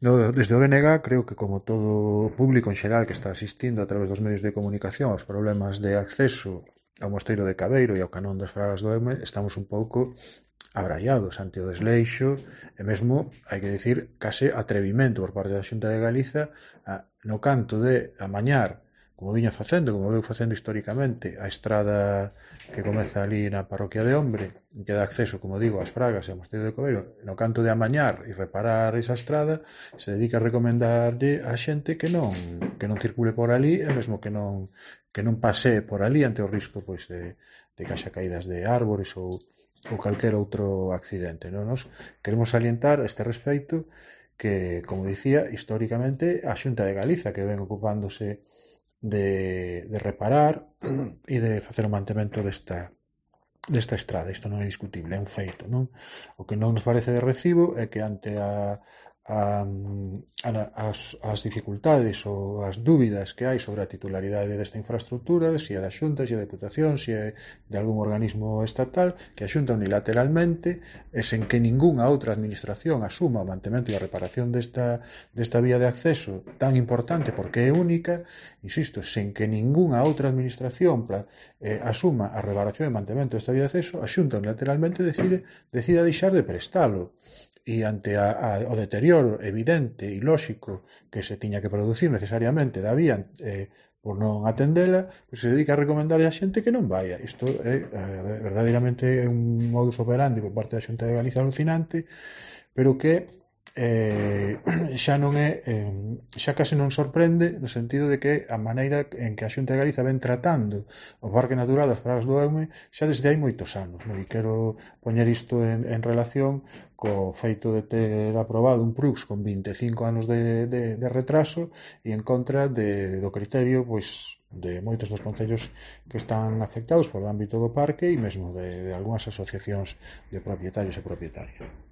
Desde o BNG, creo que como todo o público en xeral que está asistindo a través dos medios de comunicación aos problemas de acceso ao Mosteiro de Cabeiro e ao Canón das Fragas do Eume, estamos un pouco abraiados ante o desleixo e mesmo, hai que dicir, case atrevimento por parte da Xunta de Galiza no canto de amañar, como viña facendo, como veu facendo históricamente, a estrada que comeza ali na parroquia de Hombre, que dá acceso, como digo, ás Fragas e ao Mosteiro de Cobeiro, no canto de amañar e reparar esa estrada, se dedica a recomendarlle a xente que non circule por ali e mesmo que non pasee por ali ante o risco pois, de que haxa caídas de árbores ou calquer outro accidente. Non? Nos queremos salientar a este respecto que, como dicía, históricamente a Xunta de Galiza que ven ocupándose de reparar e de facer o mantemento desta estrada. Isto non é discutible, é un feito, non? O que non nos parece de recibo é que ante as dificultades ou as dúbidas que hai sobre a titularidade desta infraestructura, se é da Xunta, se é da Deputación, se é de algún organismo estatal, que a Xunta unilateralmente e sen que ningunha outra administración asuma o mantemento e a reparación desta vía de acceso tan importante porque é única, insisto, sen que ningunha outra administración asuma a reparación e mantemento desta vía de acceso, a Xunta unilateralmente decida deixar de prestalo. E ante o deterioro evidente e lóxico que se tiña que producir necesariamente da vía por non atendela, pois se dedica a recomendarle a xente que non vaya. Isto é verdadeiramente un modus operandi por parte da Xunta de Galiza alucinante, pero que xa non é xa case non sorprende no sentido de que a maneira en que a Xunta de Galiza ven tratando o Parque Natural das Fragas do Eume xa desde hai moitos anos, non? E quero poñer isto en relación co feito de ter aprobado un PRUX con 25 anos de retraso e en contra do criterio pois de moitos dos concellos que están afectados polo ámbito do parque e mesmo de algunhas asociacións de propietarios e propietarias.